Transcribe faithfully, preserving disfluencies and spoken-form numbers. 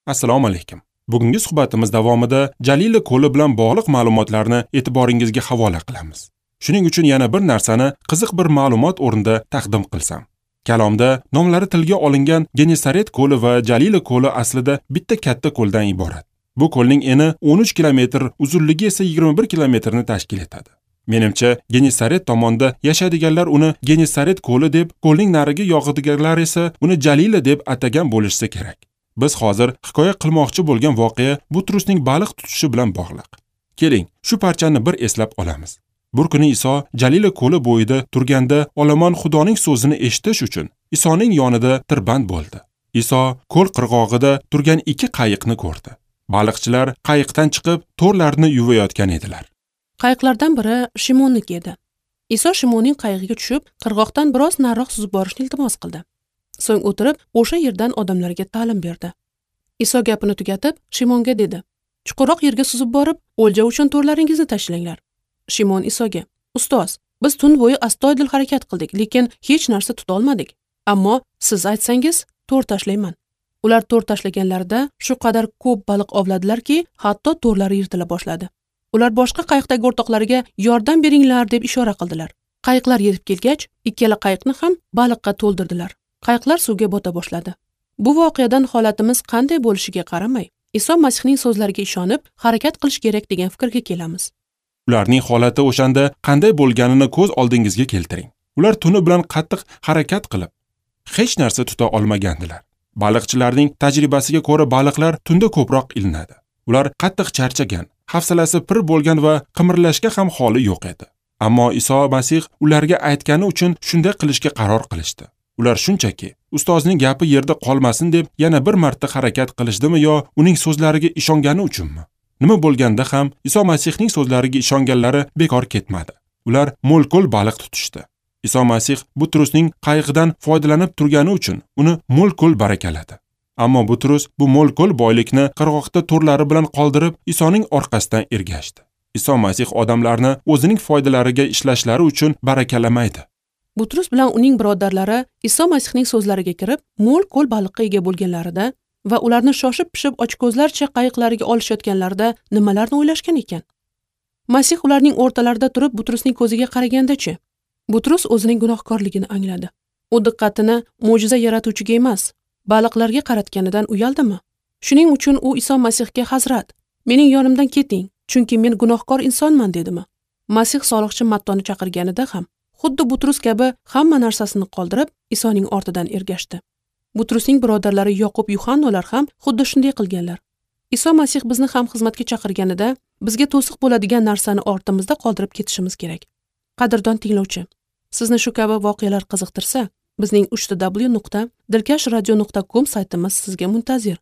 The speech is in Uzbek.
Assalomu alaykum. Bugungi suhbatimiz davomida Jalila ko'li bilan bog'liq ma'lumotlarni e'tiboringizga havola qilamiz. Shuning uchun yana bir narsani qiziq bir ma'lumot o'rnida taqdim qilsam. Kalomda nomlari tilga olingan Genesaret ko'li va Jalila ko'li aslida bitta katta ko'ldan iborat. Bu ko'lning eni o'n uch kilometr, uzunligi esa yigirma bir kilometrni tashkil etadi. Menimcha, Genesaret tomonda yashaydiganlar uni Genesaret ko'li deb, ko'lning narigi yog'idiganlar esa uni Jalila deb atagan bo'lishsa kerak. Biz hozir hikoya qilmoqchi bo'lgan voqea Butrusning baliq tutishi bilan bog'liq. Keling, shu parchani bir eslab olamiz. Bir kuni Iso Jalila ko'li bo'yida turganda olomon Xudoning so'zini eshitish uchun Isoning yonida tirband bo'ldi. Iso ko'l qirg'og'ida turgan ikki qayiqni ko'rdi. Baliqchilar qayiqdan chiqib to'rlarni yuvayotgan edilar. Qayiqlardan biri Shimonniki edi. Iso Shimonning qayig'iga tushib, qirg'oqdan biroz nariroq suzib borishni iltimos qildi. So'ng o'tirib, o'sha yerdan odamlarga ta'lim berdi. Iso gapini tugatib, Shimonga dedi: "Chuqurroq yerga suzib borib, o'lja uchun to'rlaringizni tashlanglar." Shimon Isoga: "Ustoz, biz tun bo'yi astoydil harakat qildik, lekin hech narsa tuta olmadik. Ammo siz aytsangiz, to'r tashlayman." Ular to'r tashlaganlarida shu qadar ko'p baliq ovladilarki, hatto to'rlari yirtila boshladi. Ular boshqa qayiqdagi o'rtoqlariga yordam beringlar deb ishora qildilar. Qayiqlar yetib kelgach, ikkala qayiqni ham baliqqa to'ldirdilar. Qayiqlar suvga bota boshladi. Bu voqeadan holatimiz qanday bo'lishiga qaramay, Iso Masihning so'zlariga ishonib, harakat qilish kerak degan fikrga kelamiz. Ularning holati o'shanda qanday bo'lganini ko'z oldingizga keltiring. Ular tuni bilan qattiq harakat qilib, hech narsa tuta olmagandilar. Baliqchilarning tajribasiga ko'ra baliqlar tunda ko'proq ilinadi. Ular qattiq charchagan, hafsalasi pir bo'lgan va qimirlashga ham holi yo'q edi. Ammo Iso Masih ularga aytgani uchun shunday qilishga qaror qilishdi. Ular shunchaki ustozning gapi yerda qolmasin deb yana bir marta harakat qilishdimi yo uning so'zlariga ishongani uchunmi? Nima bo'lganda ham Iso Masihning so'zlariga ishonganlari bekor ketmadi. Ular mo'l-ko'l baliq tutishdi. Iso Masih Butrusning qayig'idan foydalanib turgani uchun uni mo'l-ko'l barakaladi. Ammo Butrus bu mo'l-ko'l boylikni qirg'oqda to'rlari bilan qoldirib, Isoning orqasidan ergashdi. Iso Masih odamlarni o'zining foydalariga ishlashlari uchun barakalamaydi. Butrus bilan uning birodarlari Iso Masihning so'zlariga kirib, mo'l-ko'l baliqqa ega bo'lganlarida va ularni shoshib-pishib ochko'zlarcha qayiqlariga olishayotganlarida nimalarni o'ylashgan ekan? Masih ularning o'rtalarida turib Butrusning ko'ziga qaraganda-chi, Butrus o'zining gunohkorligini angladi. U diqqatini mo'jiza yaratuvchiga emas, baliqlarga qaratganidan uyaldimi? Shuning uchun u Iso Masihga: "Hazrat, mening yonimdan keting, chunki men gunohkor insonman" dedimi? Masih soliqchi Mattoni chaqirganida ham xuddi Butrus kabi hamma narsasini qoldirib, Isoning ortidan ergashdi. Butrusning birodarlari Yoqub, Yuhannolar ham xuddi shunday qilganlar. Iso Masih bizni ham xizmatga chaqirganida bizga to'siq bo'ladigan narsani ortimizda qoldirib ketishimiz kerak. Qadrdon tinglovchi, sizni shu kabi voqealar qiziqtirsa, bizning uch w nuqta dilkash radio nuqta com saytimiz sizga muntazir.